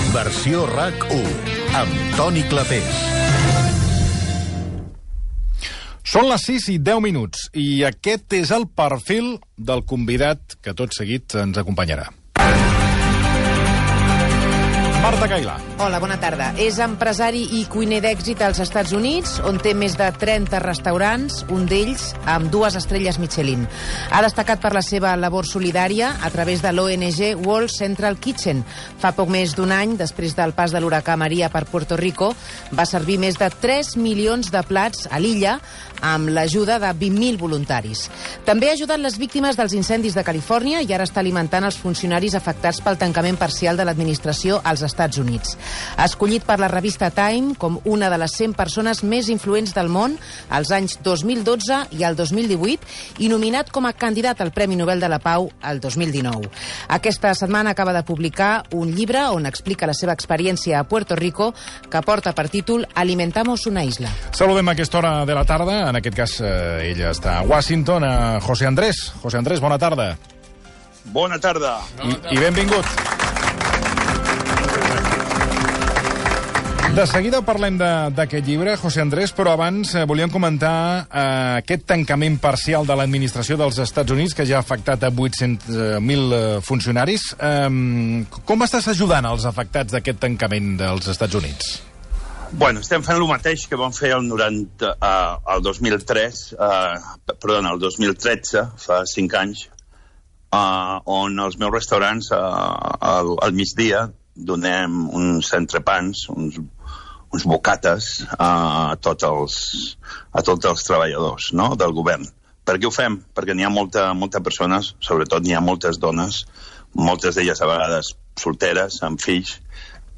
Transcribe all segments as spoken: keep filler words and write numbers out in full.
Versió RAC u, amb Toni Clapés. Són les sis i deu minuts i aquest és el perfil del convidat que tot seguit ens acompanyarà. Marta Cailà. Hola, bona tarda. És empresari i cuiner d'èxit als Estats Units, on té més de trenta restaurants, un d'ells amb dues estrelles Michelin. Ha destacat per la seva labor solidària a través de l'O N G World Central Kitchen. Fa poc més d'un any, després del pas de l'huracà Maria per Puerto Rico, va servir més de tres milions de plats a l'illa amb l'ajuda de vint mil voluntaris. També ha ajudat les víctimes dels incendis de Califòrnia i ara està alimentant els funcionaris afectats pel tancament parcial de l'administració als Estats Units. Ha escollit per la revista Time com una de les cent persones més influents del món als anys dos mil dotze i el dos mil divuit i nominat com a candidat al Premi Nobel de la Pau el dos mil dinou. Aquesta setmana acaba de publicar un llibre on explica la seva experiència a Puerto Rico que porta per títol Alimentamos una isla. Saludem a aquesta hora de la tarda, en aquest cas eh, ella està a Washington, a José Andrés. José Andrés, bona tarda. Bona tarda. I, i benvingut. De seguida parlem d'aquest llibre, José Andrés, però abans eh, volíem comentar eh, aquest tancament parcial de l'administració dels Estats Units que ja ha afectat a vuit-cents mil eh, funcionaris. Eh, com estàs ajudant als afectats d'aquest tancament dels Estats Units? Bueno, estem fent el mateix que vam fer el, noranta, uh, el dos mil tres, uh, perdona, el dos mil tretze, fa cinc anys, uh, on els meus restaurants uh, al, al migdia donem uns entrepans, uns, uns bocates uh, a, tots els, a tots els treballadors, no?, del govern. Per què ho fem? Perquè n'hi ha molta, molta persones, sobretot n'hi ha moltes dones, moltes d'elles a vegades solteres, amb fills,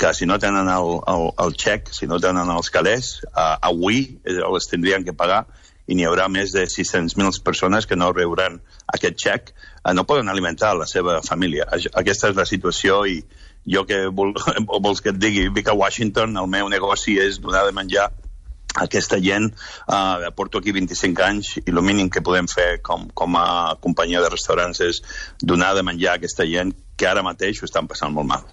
que si no tenen el, el, el xec, si no tenen els calés, uh, avui els tindrien que pagar i n'hi haurà més de sis-cents mil persones que no rebran aquest xec, uh, no poden alimentar la seva família. Aquesta és la situació i jo que vol, vols que et digui, vic a Washington, el meu negoci és donar de menjar a aquesta gent. Uh, porto aquí vint-i-cinc anys i el mínim que podem fer com, com a companyia de restaurants és donar de menjar a aquesta gent que ara mateix ho estan passant molt mal.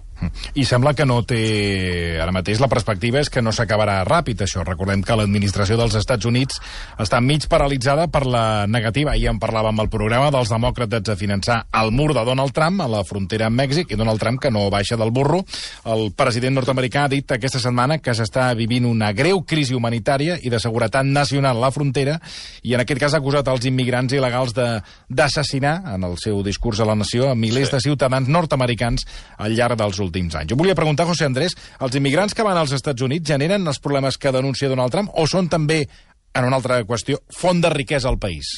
I sembla que no té... Ara mateix la perspectiva és que no s'acabarà ràpid, això. Recordem que l'administració dels Estats Units està mig paralitzada per la negativa, ahir en parlàvem al programa, dels demòcrates a finançar el mur de Donald Trump a la frontera amb Mèxic, i Donald Trump que no baixa del burro. El president nord-americà ha dit aquesta setmana que s'està vivint una greu crisi humanitària i de seguretat nacional a la frontera, i en aquest cas ha acusat els immigrants il·legals d'assassinar, en el seu discurs a la nació, a milers sí. de ciutadans nord-americans al llarg dels últims anys. Jo volia preguntar, José Andrés, els immigrants que van als Estats Units generen els problemes que denuncia Donald Trump o són també, en una altra qüestió, font de riquesa al país?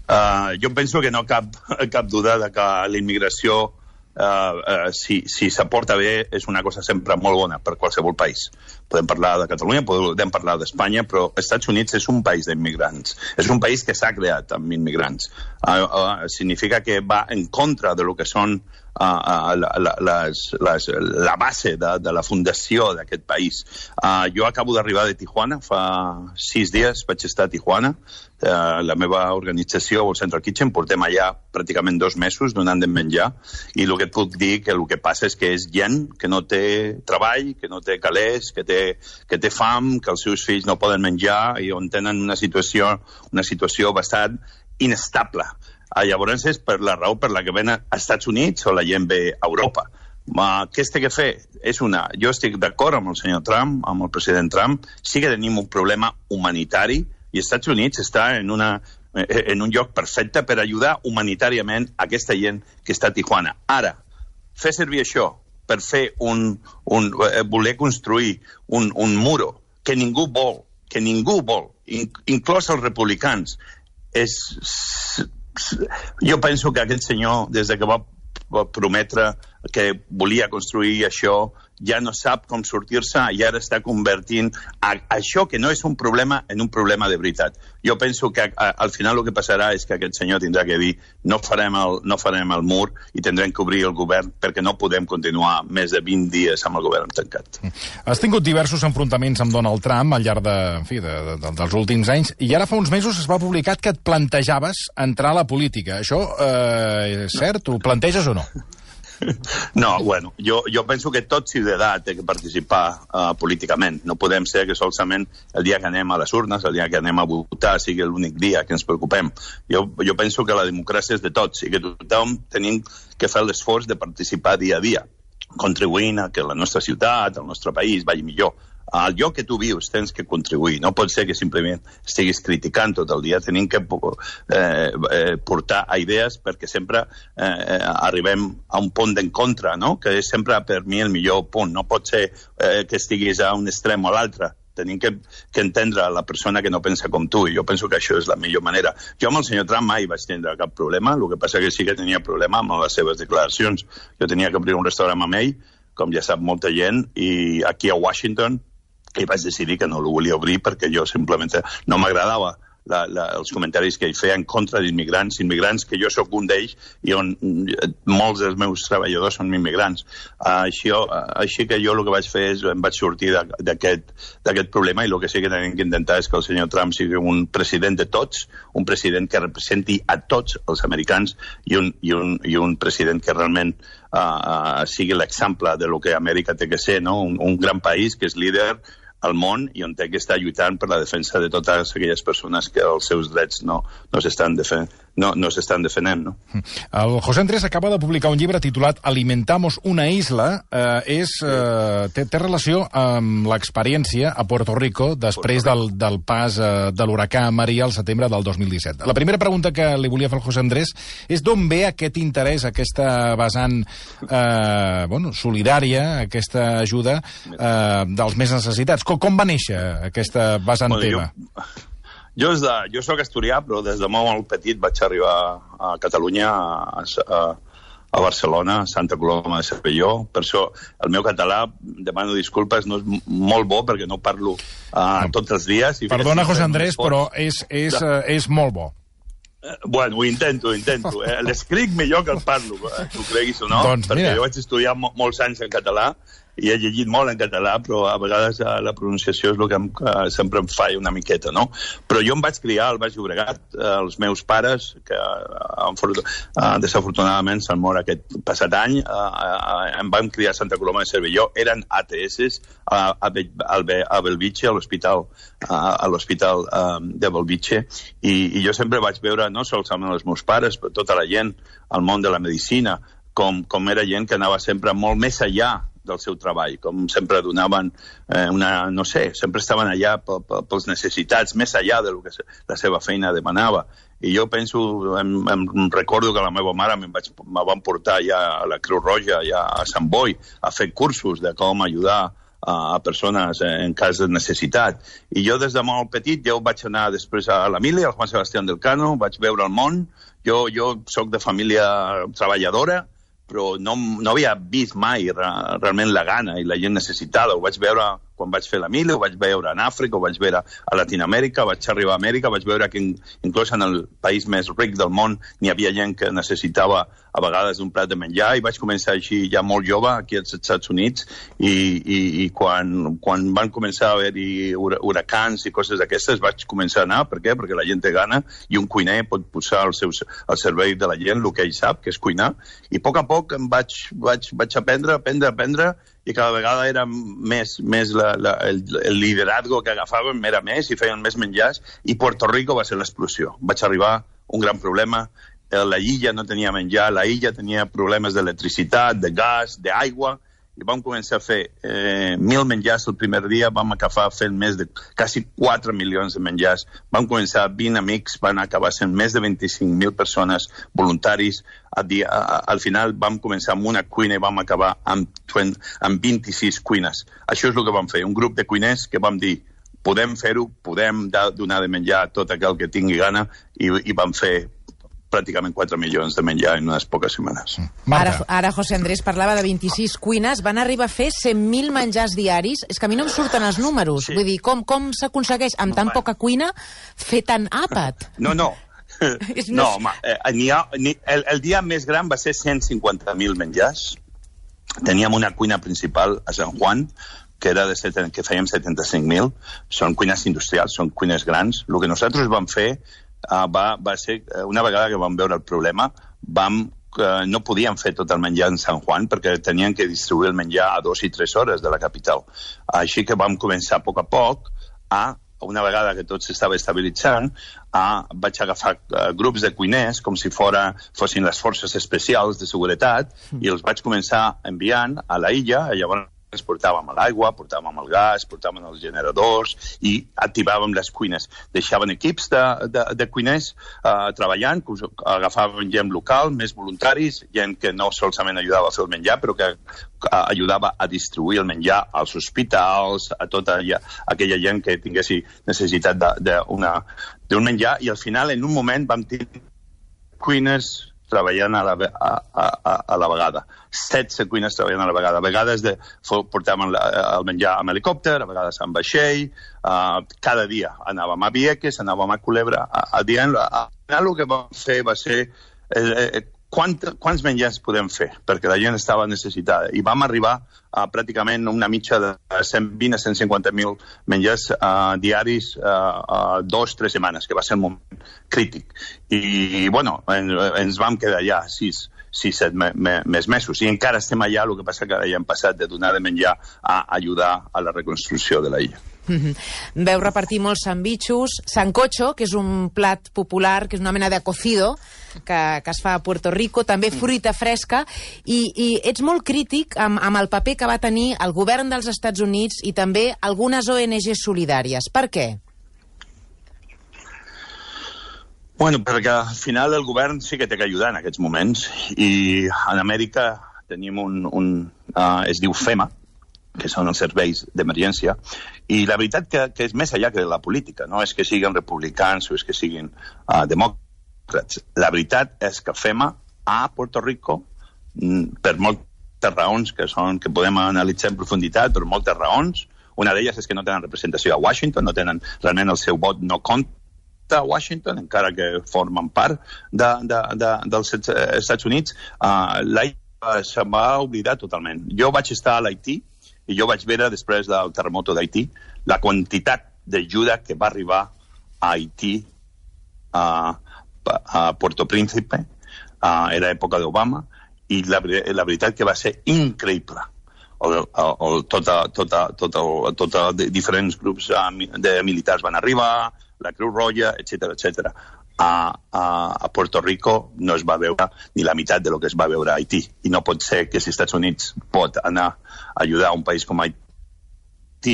Uh, jo penso que no cap, cap duda de que la immigració, uh, uh, si, si s'aporta bé, és una cosa sempre molt bona per qualsevol país. Podem parlar de Catalunya, podem parlar d'Espanya, però els Estats Units és un país d'immigrants. És un país que s'ha creat amb immigrants. Uh, uh, significa que va en contra de lo que són Uh, uh, la, la, les, les, la base de, de la fundació d'aquest país. Uh, jo acabo d'arribar de Tijuana, fa sis dies vaig estar a Tijuana. Uh, la meva organització, el Central Kitchen, portem allà pràcticament dos mesos donant de menjar, i el que et puc dir que el que passa és que és gent que no té treball, que no té calés, que té, que té fam, que els seus fills no poden menjar i on tenen una situació, una situació bastant inestable. Uh, llavors és per la raó per la que ven als Estats Units o la gent ve a Europa. Uh, què es té que fer? És una... Jo estic d'acord amb el senyor Trump, amb el president Trump, sí que tenim un problema humanitari i els Estats Units està en, una, en un lloc perfecte per ajudar humanitàriament a aquesta gent que està a Tijuana. Ara, fer servir això per fer un... un voler construir un, un muro que ningú vol, que ningú vol, inclòs els republicans, és... Jo penso que aquest senyor, des de que va prometre que volia construir això, ja no sap com sortir-se i ara està convertint a, a això que no és un problema en un problema de veritat. Jo penso que a, al final el que passarà és que aquest senyor tindrà que dir no farem el, no farem el mur i tindrem que obrir el govern perquè no podem continuar més de vint dies amb el govern tancat. Has tingut diversos enfrontaments amb Donald Trump al llarg de, en fi, de, de, dels últims anys i ara fa uns mesos es va publicar que et plantejaves entrar a la política. Això eh, és cert? Ho planteges o no? No, bueno, jo, jo penso que tot ciutadà té que participar uh, políticament. No podem ser que solament el dia que anem a les urnes, el dia que anem a votar, sigui l'únic dia que ens preocupem. Jo, jo penso que la democràcia és de tots i que tothom tenim que fer l'esforç de participar dia a dia, contribuint a que la nostra ciutat, el nostre país vagi millor. Al lloc que tu vius tens que contribuir. No pot ser que simplement estiguis criticant tot el dia. Tenim que eh, eh, portar idees perquè sempre eh, arribem a un punt d'encontre, no? Que és sempre per mi el millor punt. No pot ser eh, que estiguis a un extrem o a l'altre. Tenim que, que entendre la persona que no pensa com tu, i jo penso que això és la millor manera. Jo amb el senyor Trump mai vaig tindre cap problema, el que passa que sí que tenia problema amb les seves declaracions. Jo tenia que obrir un restaurant amb ell, com ja sap molta gent, i aquí a Washington, i vaig decidir que no el volia obrir perquè jo simplement no m'agradava la, la, els comentaris que ell feia en contra d'immigrants, immigrants que jo sóc un d'ells i on molts dels meus treballadors són immigrants. Uh, així, uh, així que jo el que vaig fer és em vaig sortir d'aquest problema, i el que sí que tenim que intentar és que el senyor Trump sigui un president de tots, un president que representi a tots els americans i un, i un, i un president que realment uh, uh, sigui l'exemple de lo que Amèrica té que ser, no? un, un gran país que és líder al món i on té que estar lluitant per la defensa de totes aquelles persones que els seus drets no, no s'estan defen no, no s'estan defendent. No? El José Andrés acaba de publicar un llibre titulat Alimentamos una isla. Eh, és, eh, té, té relació amb l'experiència a Puerto Rico després del, del pas eh, de l'huracà Maria al setembre del dos mil disset. La primera pregunta que li volia fer al José Andrés és d'on ve aquest interès, aquesta vessant eh, bueno, solidària, aquesta ajuda eh, dels més necessitats. Com, com va néixer aquesta vessant bueno, teva? Jo... Jo, de, jo soc asturià, però des de molt petit vaig arribar a Catalunya, a, a, a Barcelona, a Santa Coloma de Cervelló. Per això el meu català, demano disculpes, no és molt bo perquè no parlo uh, no. tots els dies. I Perdona, José Andrés, però és, és, uh, és molt bo. Bueno, ho intento, ho intento. Eh? L'escric millor que el parlo, eh? Tu creguis o no, doncs, perquè mira. jo vaig estudiar mo molts anys en català i he llegit molt en català, però a vegades eh, la pronunciació és el que em, eh, sempre em falla una miqueta, no? Però jo em vaig criar al Baix Llobregat, eh, els meus pares, que eh, eh, desafortunadament s'han mort aquest passat any, eh, eh, em vam criar a Santa Coloma de Cervelló, eren A T S a, a, a Belvitge, a l'hospital a l'hospital eh, de Belvitge, i, i jo sempre vaig veure, no sols amb els meus pares, però tota la gent al món de la medicina, com, com era gent que anava sempre molt més enllà del seu treball, com sempre donaven eh, una, no sé, sempre estaven allà pels necessitats, més enllà del que la seva feina demanava. I jo penso, em, em recordo que la meva mare me, vaig, me van portar ja a la Creu Roja, ja a Sant Boi, a fer cursos de com ajudar a, a persones en cas de necessitat. I jo des de molt petit, jo vaig anar després a la Mili, al Juan Sebastián del Cano, vaig veure el món. Jo, jo soc de família treballadora, però no, no havia vist mai re, realment la gana i la gent necessitada. Ho vaig veure quan vaig fer la Mili, ho vaig veure en Àfrica, ho vaig veure a Latinoamèrica, vaig arribar a Amèrica, vaig veure que inclús en el país més ric del món n'hi havia gent que necessitava a vegades un plat de menjar, i vaig començar així ja molt jove aquí als Estats Units, i, i, i quan, quan van començar a haver-hi huracans i coses d'aquestes vaig començar a anar. Per què? Perquè la gent té gana i un cuiner pot posar al, seu, al servei de la gent el que ell sap, que és cuinar, i a poc a poc em vaig, vaig, vaig aprendre, aprendre, aprendre, i cada vegada era més, més la, la, el, el liderazgo que agafàvem era més i feien més menjars, i Puerto Rico va ser l'explosió. Vaig arribar un gran problema, la illa no tenia menjar, la illa tenia problemes d'electricitat, de gas, d'aigua, i vam començar a fer eh, mil menjars el primer dia, vam acabar fent més de quasi quatre milions de menjars, vam començar vint amics, van acabar sent més de vint-i-cinc mil persones voluntaris, a dia, a, al final vam començar amb una cuina i vam acabar amb, amb vint-i-sis cuines. Això és el que vam fer, un grup de cuiners que vam dir, podem fer-ho, podem donar de menjar a tot aquell que tingui gana, i, i vam fer pràcticament quatre milions de menjar en unes poques setmanes. Ara, ara José Andrés parlava de vint-i-sis cuines, van arribar a fer cent mil menjars diaris. És que a mi no em surten els números. Sí. Vull dir, com, com s'aconsegueix amb tan poca cuina fer tant àpat? No, no. No, home, eh, ni ha, ni, el, el dia més gran va ser cent cinquanta mil menjars. Teníem una cuina principal a Sant Juan, que era de seten, que fèiem setanta-cinc mil. Són cuines industrials, són cuines grans. El que nosaltres vam fer Uh, va, va ser, uh, una vegada que vam veure el problema, vam que no podien fer tot el menjar en San Juan perquè tenien que distribuir el menjar a dos i tres hores de la capital. Així que vam començar a poc a poc a, una vegada que tot s'estava estabilitzant, a, vaig agafar uh, grups de cuiners com si fora, fossin les forces especials de seguretat i els vaig començar enviant a la illa, llavors portàvem l'aigua, portàvem el gas, portàvem els generadors i activàvem les cuines. Deixaven equips de, de, de cuiners uh, treballant, agafaven gent local, més voluntaris, gent que no solament ajudava a fer el menjar, però que uh, ajudava a distribuir el menjar als hospitals, a tota ja, aquella gent que tinguessi necessitat d'un menjar, i al final, en un moment, vam tenir cuines treballant a la, a, a, a la vegada. setze cuines treballant a la vegada. A vegades de, portàvem el menjar amb helicòpter, a vegades amb vaixell, uh, cada dia anàvem a Vieques, anàvem a Culebra, a, a dient, al final el que vam fer va ser eh, eh, quant, quants menjars podem fer, perquè la gent estava necessitada. I vam arribar a pràcticament una mitja de cent vint a cent cinquanta mil menjars uh, diaris uh, uh, dos, tres setmanes, que va ser un moment crític. I, bueno, en, ens vam quedar allà sis, sis, set me, me, més mesos. I encara estem allà, el que passa que ara ja hem passat de donar de menjar a ajudar a la reconstrucció de la illa. Mm-hmm. Veu repartir molts sandvitxos, sancocho, que és un plat popular, que és una mena de cocido que, que es fa a Puerto Rico, també fruita fresca, i, i ets molt crític amb, amb el paper que va tenir el govern dels Estats Units i també algunes O N Ges solidàries. Per què? Bueno, perquè al final el govern sí que té que ajudar en aquests moments, i en Amèrica tenim un... un uh, es diu FEMA, que són els serveis d'emergència, i la veritat que, que és més allà que la política, no és que siguin republicans o és que siguin uh, demòcrats. La veritat és que FEMA a Puerto Rico, per moltes raons que, són, que podem analitzar en profunditat, per moltes raons, una d'elles és que no tenen representació a Washington, no tenen realment el seu vot no compta a Washington, encara que formen part de, de, de, dels Estats Units, uh, l'Haití se va oblidar totalment. Jo vaig estar a l'Haití, i jo vaig veure, després del terremoto d'Haití, la quantitat d'ajuda que va arribar a Haití, a, a Puerto Príncipe, a, era època d'Obama, i la, la veritat que va ser increïble. El, el, el, tota, tota, tota, tota, diferents grups de militars van arribar, la Creu Roja, etcètera, etcètera. A, a, a Puerto Rico no es va veure ni la meitat de lo que es va veure a Haití. I no pot ser que si els Estats Units pot anar a ajudar a un país com Haití,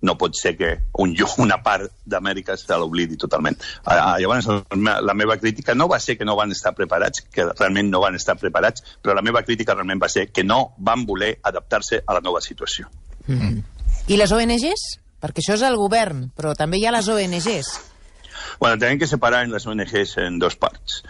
no pot ser que un, una part d'Amèrica se l'oblidi totalment. Uh, llavors, la meva crítica no va ser que no van estar preparats, que realment no van estar preparats, però la meva crítica realment va ser que no van voler adaptar-se a la nova situació. Mm-hmm. I les O N Ges? Perquè això és el govern, però també hi ha les O N Ges. Bueno, tenim que separar en les O N Ges en dos parts.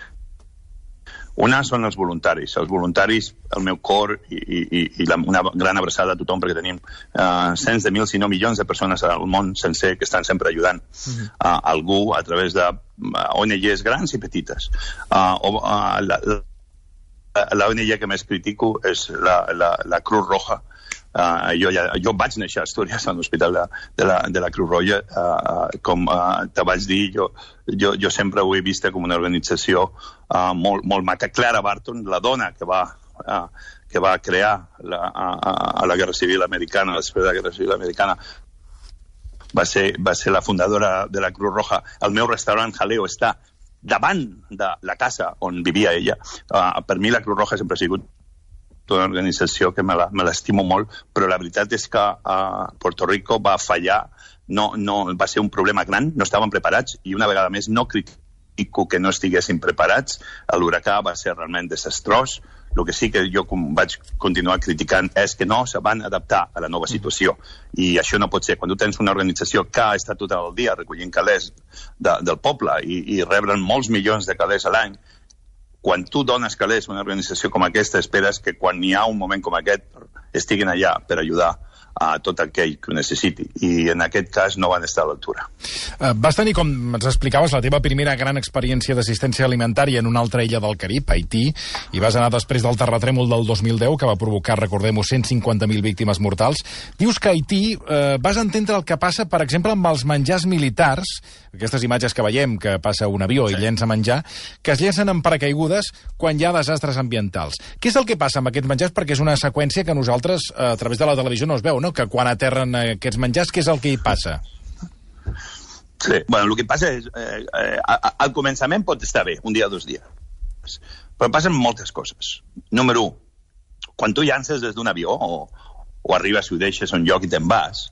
Una són els voluntaris. Els voluntaris, el meu cor i, i, i la, una gran abraçada a tothom, perquè tenim uh, cents de mils, si no milions de persones al món sencer que estan sempre ajudant uh, algú a través de uh, O N Ges grans i petites. Uh, o, uh, la, la, la O N G que més critico és la, la, la Cruz Roja. Uh, jo, ja, jo vaig néixer a Astúries, a l'hospital de, de, la, de la Cruz Roja. Uh, com uh, te vaig dir, jo, jo, jo sempre ho he vist com una organització uh, molt, molt maca. Clara Barton, la dona que va, uh, que va crear la, a, a la Guerra Civil Americana, després de la Guerra Civil Americana, va ser, va ser la fundadora de la Cruz Roja. El meu restaurant Jaleo està davant de la casa on vivia ella. Uh, per mi la Cruz Roja sempre ha sigut una organització que me l'estimo molt, però la veritat és que uh, Puerto Rico va fallar, no, no, va ser un problema gran, no estaven preparats, i una vegada més no critico que no estiguessin preparats. L'huracà va ser realment desastrós. El que sí que jo vaig continuar criticant és que no se van adaptar a la nova situació, i això no pot ser. Quan tu tens una organització que ha estat tot el dia recollint calés de, del poble i, i rebren molts milions de calés a l'any, quan tu dones calés a una organització com aquesta, esperes que quan hi ha un moment com aquest estiguin allà per ajudar a tot aquell que ho necessiti. I en aquest cas no van estar a l'altura. Uh, vas tenir, com ens explicaves, la teva primera gran experiència d'assistència alimentària en una altra illa del Carib, Haití, i vas anar després del terratrèmol del dos mil deu, que va provocar, recordem-ho, cent cinquanta mil víctimes mortals. Dius que a Haití uh, vas entendre el que passa, per exemple, amb els menjars militars, aquestes imatges que veiem, que passa un avió sí. i llença menjar, que es llencen en paracaigudes quan hi ha desastres ambientals. Què és el que passa amb aquests menjars? Perquè és una seqüència que nosaltres, a través de la televisió, no es veu, no? Que quan aterren aquests menjars, què és el que hi passa? Sí, bueno, el que passa és... Eh, eh, al començament pot estar bé, un dia o dos dies. Però passen moltes coses. Número u, quan tu llances des d'un avió o, o arribes i ho deixes a un lloc i te'n vas,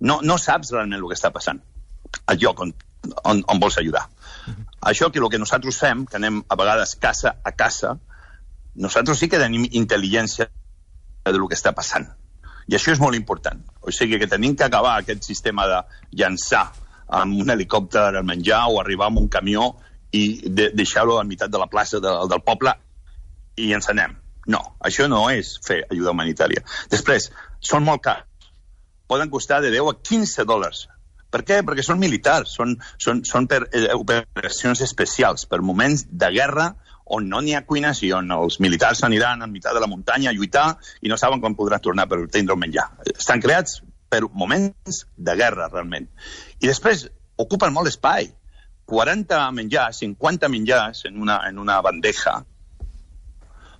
no, no saps realment el que està passant al lloc on, on, on vols ajudar. Uh-huh. Això que el que nosaltres fem, que anem a vegades casa a casa, nosaltres sí que tenim intel·ligència del que està passant. I això és molt important. O sigui que tenim que acabar aquest sistema de llançar amb un helicòpter al menjar o arribar amb un camió i de deixar-ho a la meitat de la plaça de, del poble i ens anem. No, això no és fer ajuda humanitària. Després, són molt cars. Poden costar de deu a quinze dòlars. Per què? Perquè són militars, són, són, són per eh, operacions especials, per moments de guerra on no n'hi ha cuines i on els militars aniran a mitjà de la muntanya a lluitar i no saben quan podran tornar per tindre el menjar. Estan creats per moments de guerra, realment. I després ocupen molt espai. quaranta menjars, cinquanta menjars en una, en una bandeja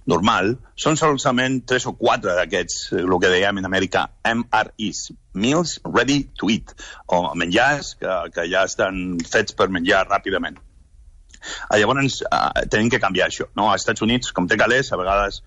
normal, són solament tres o quatre d'aquests, el que dèiem en Amèrica, M R Es, Meals Ready to Eat, o menjars que, que ja estan fets per menjar ràpidament. Llavors, uh, tenim que canviar això. No? Als Estats Units, com té calés, a vegades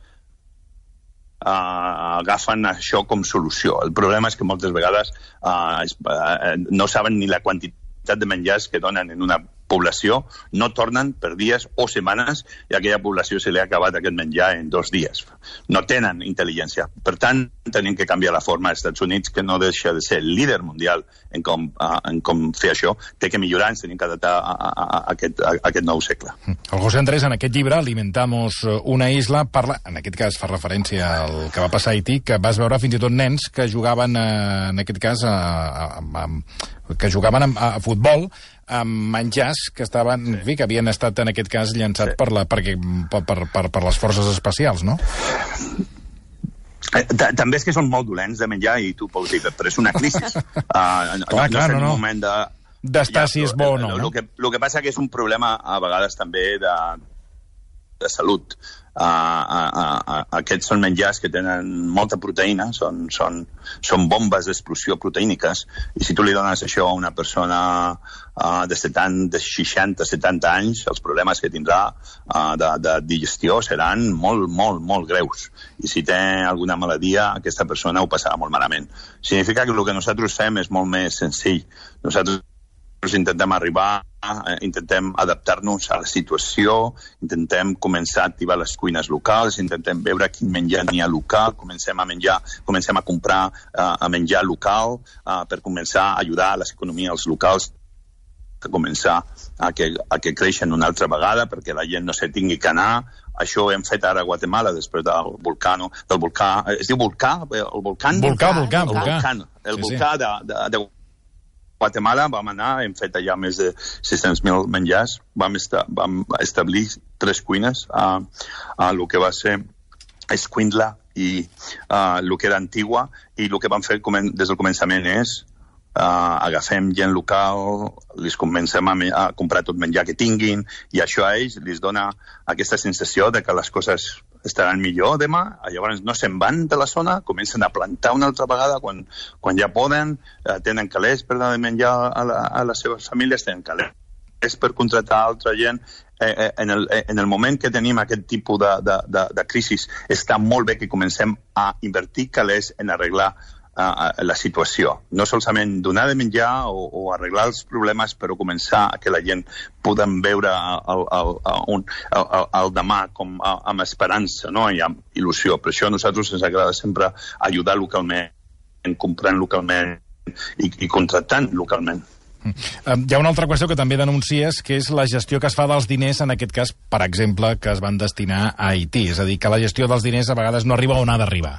uh, agafen això com solució. El problema és que moltes vegades uh, es, uh, no saben ni la quantitat de menjars que donen en una població, no tornen per dies o setmanes i a aquella població se li ha acabat aquest menjar en dos dies. No tenen intel·ligència. Per tant, tenim que canviar la forma. Els Estats Units, que no deixa de ser líder mundial en com, uh, en com fer això, té que millorar, ens tenim que adaptar a, a, a, aquest, a, a aquest nou segle. El José Andrés, en aquest llibre, Alimentamos una isla, parla, en aquest cas fa referència al que va passar a Haití, que vas veure fins i tot nens que jugaven, eh, en aquest cas, a, a, a, que jugaven a, a futbol, amb menjars que estaven, sí. en fi, que havien estat en aquest cas llançats sí. per, la, perquè, per, per, per, per les forces especials, no? També és que són molt dolents de menjar i tu pots dir, però és una crisi. Uh, clar, no, clar, no, no. Un moment de... d'estar si és bo o no. El que, el que passa que és un problema a vegades també de, de salut. Uh, uh, uh, uh, aquests són menjars que tenen molta proteïna, són, són, són bombes d'explosió proteíniques, i si tu li dones això a una persona uh, de, setanta, de seixanta, setanta anys, els problemes que tindrà uh, de, de digestió seran molt, molt, molt greus. I si té alguna malaltia, aquesta persona ho passarà molt malament. Significa que el que nosaltres fem és molt més senzill. Nosaltres intentem arribar, intentem adaptar-nos a la situació, intentem començar a activar les cuines locals, intentem veure quin menjar n'hi ha local, comencem a menjar, comencem a comprar uh, a menjar local uh, per començar a ajudar a les economies locals a començar a que, a que creixen una altra vegada perquè la gent no se tingui que anar. Això ho hem fet ara a Guatemala després del volcà, no? del volcà, es diu volcà? El volcán? Volcà, volcà, el volcà. volcà, el sí, volcà sí. de, de, de Guatemala vam anar, hem fet allà més de sis-cents mil menjars, vam, esta, vam establir tres cuines a, a el que va ser Escuintla i uh, el que era Antigua, i el que vam fer des del començament és uh, agafem gent local, els comencem a, a comprar tot menjar que tinguin, i això a ells els dona aquesta sensació de que les coses estaran millor demà, llavors no se'n van de la zona, comencen a plantar una altra vegada quan, quan ja poden, eh, tenen calés per donar de menjar a, la, a les seves famílies, tenen calés per contractar altra gent. Eh, eh, en, el, eh, en el moment que tenim aquest tipus de, de, de, de crisi, està molt bé que comencem a invertir calés en arreglar uh, la situació. No solament donar de menjar o, o arreglar els problemes, però començar a que la gent puguin veure el, el, el, el, el demà com, amb esperança, no? I amb il·lusió. Per això a nosaltres ens agrada sempre ajudar localment, comprant localment i, i contractant localment. Hi ha una altra qüestió que també denuncies, que és la gestió que es fa dels diners, en aquest cas, per exemple, que es van destinar a Haití. És a dir, que la gestió dels diners a vegades no arriba on ha d'arribar.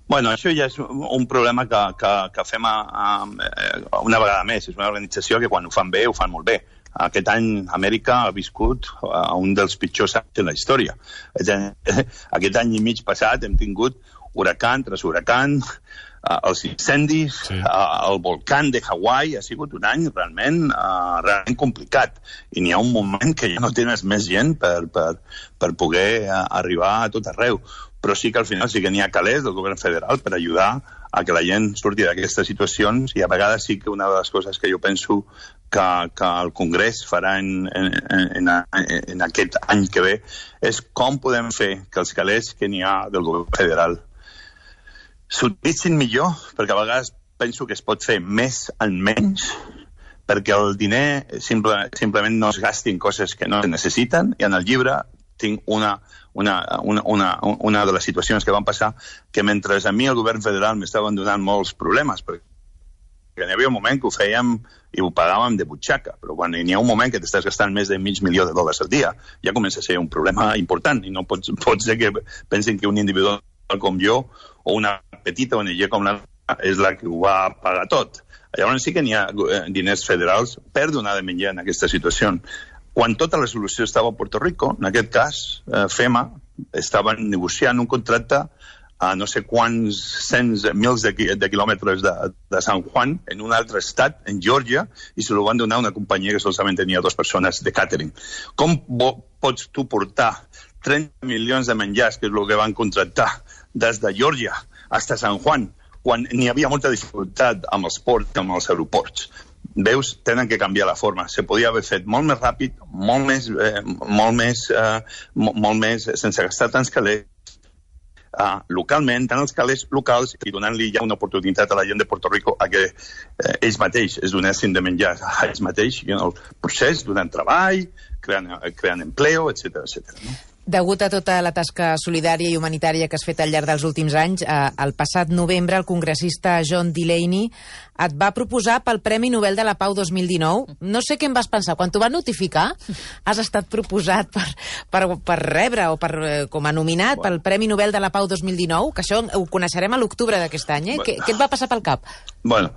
Bueno, això ja és un problema que, que, que fem a, a, una vegada més. És una organització que quan ho fan bé, ho fan molt bé. Aquest any Amèrica ha viscut a un dels pitjors anys de la història. Aquest any i mig passat hem tingut huracan tras huracan, els incendis, sí. El volcán de Hawaii. Ha sigut un any realment, uh, realment complicat. I n'hi ha un moment que ja no tens més gent per, per, per poder uh, arribar a tot arreu. Però sí que al final sí que n'hi ha calés del govern federal per ajudar a que la gent surti d'aquestes situacions, i a vegades sí que una de les coses que jo penso que, que el Congrés farà en, en, en, en aquest any que ve és com podem fer que els calés que n'hi ha del govern federal s'utilitzin millor, perquè a vegades penso que es pot fer més en menys, perquè el diner simple, simplement no es gasti en coses que no es necessiten, i en el llibre tinc una, una, una, una, una de les situacions que van passar que mentre a mi el govern federal m'estaven donant molts problemes, perquè n'hi havia un moment que ho fèiem i ho pagàvem de butxaca, però quan n'hi ha un moment que t'estàs gastant més de mig milió de dòlars al dia, ja comença a ser un problema important, i no pot, pot ser que pensin que un individu com jo o una petita O N G com la és la que ho va pagar tot. Llavors sí que n'hi ha diners federals per donar de menjar en aquesta situació. Quan tota la solució estava a Puerto Rico, en aquest cas, eh, FEMA estava negociant un contracte a no sé quants cents, mils de, de quilòmetres de, de San Juan, en un altre estat, en Georgia, i se lo van donar a una companyia que solament tenia dues persones de catering. Com pots tu portar trenta milions de menjars, que és el que van contractar, des de Georgia fins a San Juan, quan n'hi havia molta dificultat amb els ports, amb els aeroports? Veus, tenen que canviar la forma. Se podia haver fet molt més ràpid, molt més, eh, molt més, eh, molt més sense gastar tants calés, Uh, localment, tant els calés locals, i donant-li ja una oportunitat a la gent de Puerto Rico a que eh, ells mateix es donessin de menjar a ells mateix, i en el procés donant treball, creant, creant empleo, etcètera, etcètera, no? Degut a tota la tasca solidària i humanitària que has fet al llarg dels últims anys, eh, el passat novembre el congressista John Delaney et va proposar pel Premi Nobel de la Pau dos mil dinou. No sé què em vas pensar. Quan t'ho van notificar, has estat proposat per, per, per rebre o per, eh, com a nominat bueno. pel Premi Nobel de la Pau dos mil dinou, que això ho coneixerem a l'octubre d'aquest any. Eh? Bueno. Què, què et va passar pel cap? Bueno,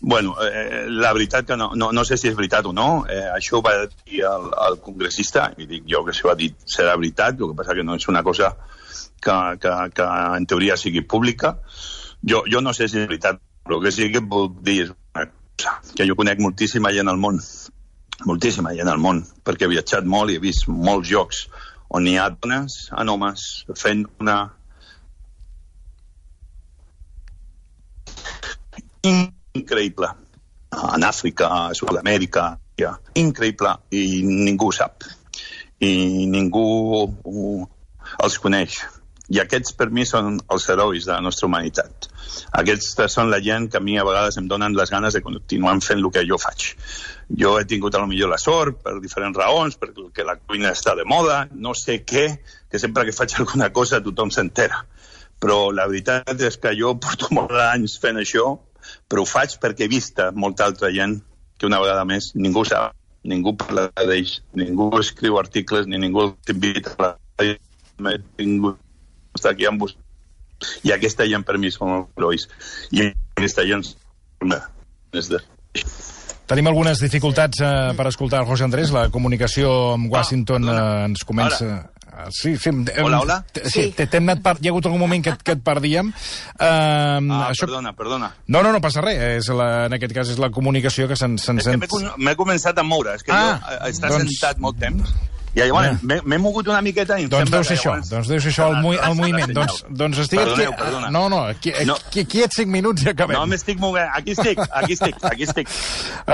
bueno, eh, la veritat que no, no, no sé si és veritat o no, eh, això ho va dir el, el congressista, i dic jo que si ho ha dit serà veritat, el que passa que no és una cosa que, que, que en teoria sigui pública. Jo, jo no sé si és veritat, però el que sí que puc dir és una cosa, que jo conec moltíssima gent al món, moltíssima gent al món, perquè he viatjat molt i he vist molts llocs on hi ha dones en homes fent una increïble, en Àfrica, a Sud-amèrica, increïble, i ningú ho sap, i ningú els coneix. I aquests per mi són els herois de la nostra humanitat. Aquests són la gent que a mi a vegades em donen les ganes de continuar fent el que jo faig. Jo he tingut a lo millor la sort per diferents raons, perquè la cuina està de moda, no sé què, que sempre que faig alguna cosa tothom s'entera. Però la veritat és que jo porto molts anys fent això, però ho faig perquè he vist molta altra gent que una vegada més ningú sap, ningú parla d'ells, ningú escriu articles, ni ningú t'invita a la... ningú està aquí amb vostè. I aquesta gent per mi són els herois. I aquesta gent... Tenim algunes dificultats eh, per escoltar el José Andrés. La comunicació amb Washington eh, ens comença... Ara. Sí, sí. Hola, hola. Sí, sí. T'hem anat per... Hi ha hagut algun moment que, que et perdíem. Uh, ah, això... perdona, perdona. No, no, no passa res. És la, en aquest cas és la comunicació que se'n sent... És que m'he començat a moure. És que ah, jo he estat doncs... sentat molt temps. I llavors yeah. m'he mogut una miqueta i em doncs sembla deu ser que això, llavors... doncs deu ser això el, mu el moviment. Doncs, doncs estic Perdoneu, aquí... perdona. No, no, aquí, aquí, no. aquí et cinc minuts i acabem. No m'estic movent. Aquí estic, aquí estic, aquí estic.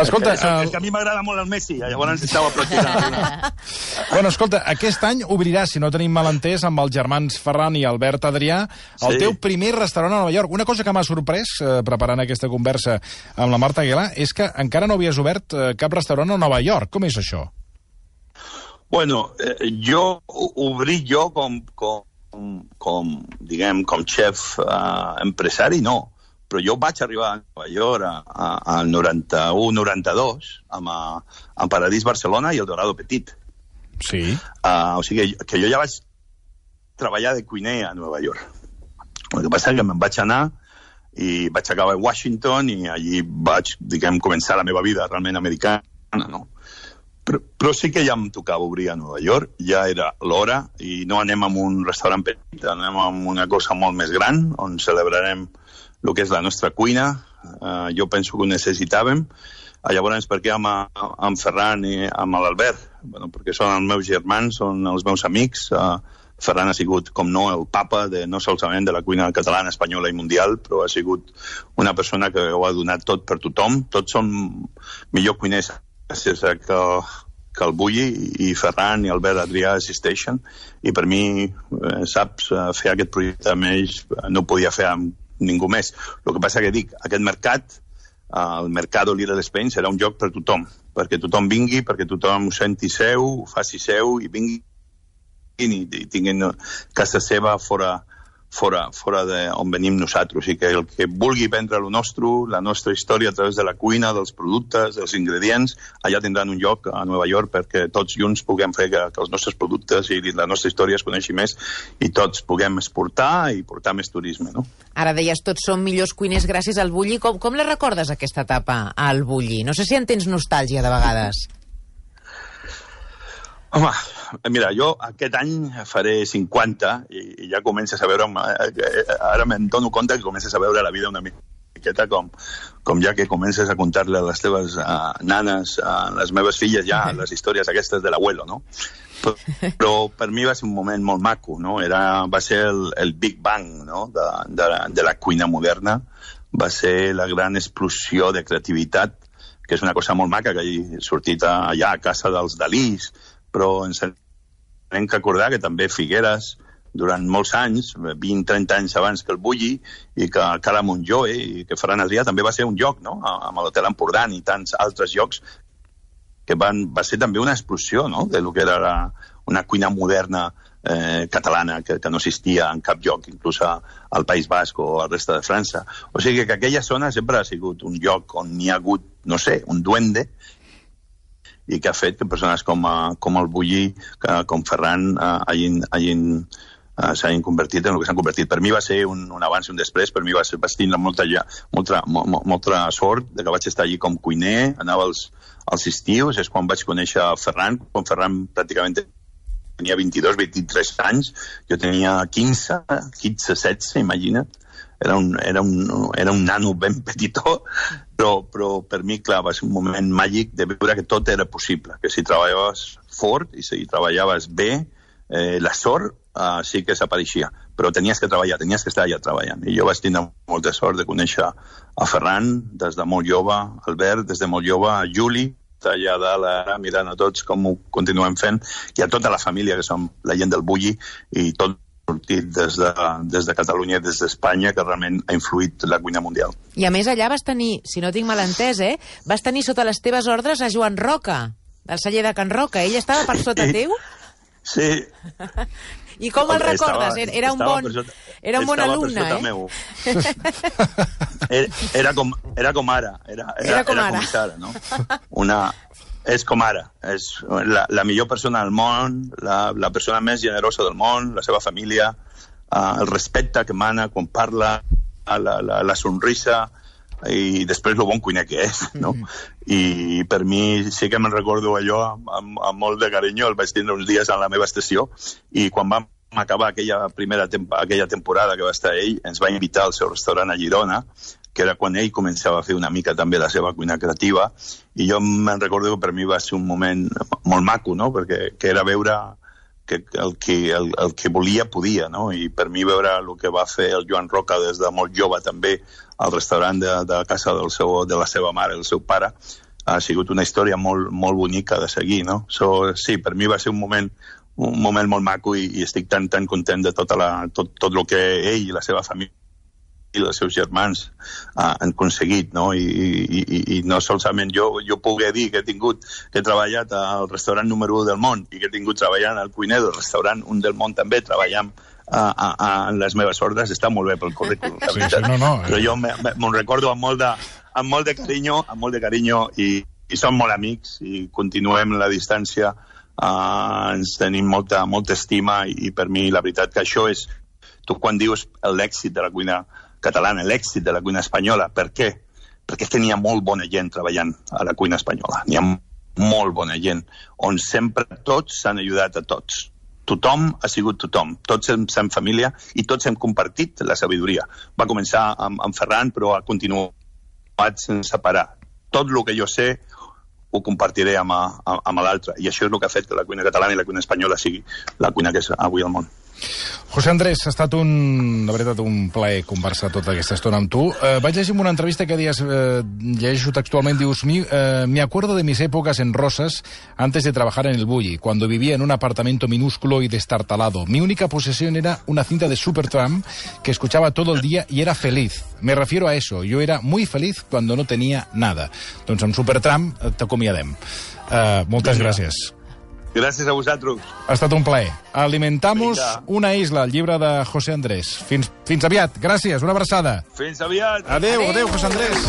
Escolta... És, el... és que a mi m'agrada molt el Messi, llavors estava practicant. Bueno, escolta, aquest any obrirà, si no tenim malentès, amb els germans Ferran i Albert Adrià, el sí. teu primer restaurant a Nova York. Una cosa que m'ha sorprès, eh, preparant aquesta conversa amb la Marta Aguilar, és que encara no havies obert eh, cap restaurant a Nova York. Com és això? Bueno, eh, jo obrir jo com, com, com, diguem, com xef eh, empresari, no. Però jo vaig arribar a Nova York al noranta-u noranta-dos amb, amb Paradís Barcelona i el Dorado Petit. Sí. Uh, o sigui que jo ja vaig treballar de cuiner a Nova York. El que passa és que me'n vaig anar i vaig acabar a Washington i allí vaig, diguem, començar la meva vida realment americana, no? Però, però sí que ja em tocava obrir a Nova York, ja era l'hora, i no anem a un restaurant petit, anem a una cosa molt més gran, on celebrarem el que és la nostra cuina. Uh, jo penso que ho necessitàvem. Uh, llavors, per què amb, amb Ferran i amb l'Albert? Bueno, perquè són els meus germans, són els meus amics. Uh, Ferran ha sigut, com no, el papa de, no solament de la cuina catalana, espanyola i mundial, però ha sigut una persona que ho ha donat tot per tothom. Tots són millor cuiners gràcies a que, que el Bulli i Ferran i Albert Adrià assisteixen, i per mi, eh, saps, fer aquest projecte amb ells no ho podia fer amb ningú més. El que passa que dic, aquest mercat, el Mercado Little Spain, serà un lloc per tothom, perquè tothom vingui, perquè tothom ho senti seu, ho faci seu i vingui i, i tinguin casa seva fora fora, fora de on venim nosaltres, i que el que vulgui prendre el nostre, la nostra història a través de la cuina, dels productes, dels ingredients, allà tindran un lloc a Nova York perquè tots junts puguem fer que, que els nostres productes i la nostra història es coneixi més i tots puguem exportar i portar més turisme, no? Ara deies, tots som millors cuiners gràcies al Bulli. Com, com la recordes, aquesta etapa, al Bulli? No sé si en tens nostàlgia, de vegades. Home, mira, jo aquest any faré cinquanta i, i ja comences a veure, ara me'n dono compte que comences a veure la vida una miqueta com, com ja que comences a contar-le a les teves uh, nanes, a les meves filles ja les històries aquestes de l'abuelo, no? Però, però per mi va ser un moment molt maco, no? Era, va ser el, el Big Bang, no? de, de, de la cuina moderna, va ser la gran explosió de creativitat, que és una cosa molt maca que hagi sortit allà a casa dels Dalís, però ens hem que acordar que també Figueres, durant molts anys, vint a trenta anys abans que el Bulli, i que Cala Montjoy i que Ferran Adrià també va ser un lloc, no? Amb l'Hotel Empordà i tants altres llocs, que van, va ser també una explosió, no? De lo que era la, una cuina moderna eh, catalana que, que no existia en cap lloc, inclús a, al País Basc o a la resta de França. O sigui que aquella zona sempre ha sigut un lloc on n'hi ha hagut, no sé, un duende, i que ha fet que persones com, uh, com el Bulli, uh, com Ferran, uh, hagin, hagin, uh, s'hagin convertit en el que s'han convertit. Per mi va ser un, un abans i un després, per mi va ser, vaig tindre molta, molta, molta, molta sort de que vaig estar allí com cuiner, anava als, als estius, és quan vaig conèixer Ferran, quan Ferran pràcticament tenia vint-i-dos, vint-i-tres anys, jo tenia quinze, quinze, setze, imagina't. Era un, era, un, era un nano ben petitó, però, però per mi, clar, va ser un moment màgic de veure que tot era possible, que si treballaves fort i si treballaves bé, eh, la sort eh, sí que s'apareixia, però tenies que treballar, tenies que estar allà treballant. I jo vaig tenir molta sort de conèixer a Ferran des de molt jove, Albert des de molt jove, a Juli, allà dalt ara mirant a tots com ho continuem fent, i a tota la família que som la gent del Bulli, i tot sortit des de, des de Catalunya, des d'Espanya, que realment ha influït la cuina mundial. I a més allà vas tenir, si no tinc mal entès, eh, vas tenir sota les teves ordres a Joan Roca, del celler de Can Roca. Ell estava per sota teu? Sí. I com el recordes? Era, era un bon, sota, era un bon alumne, eh? Meu. Era, era, com, era com ara. Era, era, era com era ara. Com ara, no? Una... És com ara, és la, la millor persona del món, la, la persona més generosa del món, la seva família, uh, el respecte que mana quan parla, la, la, la sonrisa, i després el bon cuiner que és, no? I per mi sí que me'n recordo allò amb, amb, amb molt de carinyo, el vaig tindre uns dies a la meva estació, i quan vam acabar aquella primera temp aquella temporada que va estar ell, ens va invitar al seu restaurant a Girona, que era quan ell començava a fer una mica també la seva cuina creativa, i jo me'n recordo que per mi va ser un moment molt maco, no? Perquè que era veure que el, que el, el que volia podia, no? I per mi veure el que va fer el Joan Roca des de molt jove també al restaurant de, de casa del seu, de la seva mare, el seu pare, ha sigut una història molt, molt bonica de seguir, no? So, sí, per mi va ser un moment un moment molt maco, i, i estic tan, tan content de tota la, tot, tot el que ell i la seva família i els seus germans uh, han aconseguit, no? I, i, i, i no solament jo, jo poder dir que he tingut, que he treballat al restaurant número u del món i que he tingut treballant al cuiner del restaurant un del món també, treballant uh, uh, uh, en les meves ordres, està molt bé pel currículum, la veritat. Sí, sí, no, no, eh? Però jo me'n recordo amb molt de, amb molt de carinyo, amb molt de carinyo, i, i som molt amics, i continuem la distància, uh, ens tenim molta, molta estima, i, i per mi la veritat que això és Tu quan dius l'èxit de la cuina catalana, l'èxit de la cuina espanyola, per què? Perquè és que n'hi ha molt bona gent treballant a la cuina espanyola. N'hi ha molt bona gent, on sempre tots s'han ajudat a tots. Tothom ha sigut tothom. Tots hem sigut família i tots hem compartit la sabidoria. Va començar amb, amb Ferran, però ha continuat sense parar. Tot el que jo sé ho compartiré amb, amb l'altre. I això és el que ha fet que la cuina catalana i la cuina espanyola sigui la cuina que és avui al món. José Andrés, ha estat un, la veritat, un plaer conversar tota aquesta estona amb tu. Eh, vaig llegir en una entrevista que dies, eh, llegeixo textualment, dius, mi, eh, me acuerdo de mis épocas en Rosas antes de trabajar en el Bulli, cuando vivía en un apartamento minúsculo y destartalado. Mi única posesión era una cinta de Supertramp que escuchaba todo el día y era feliz. Me refiero a eso, yo era muy feliz cuando no tenía nada. Doncs amb Supertramp t'acomiadem. Eh, moltes Vinga. gràcies. Gràcies a vosaltres. Ha estat un plaer. Alimentamos Vinga. una isla, el llibre de José Andrés. Fins, fins aviat. Gràcies, una abraçada. Fins aviat. Adéu, adéu, José Andrés.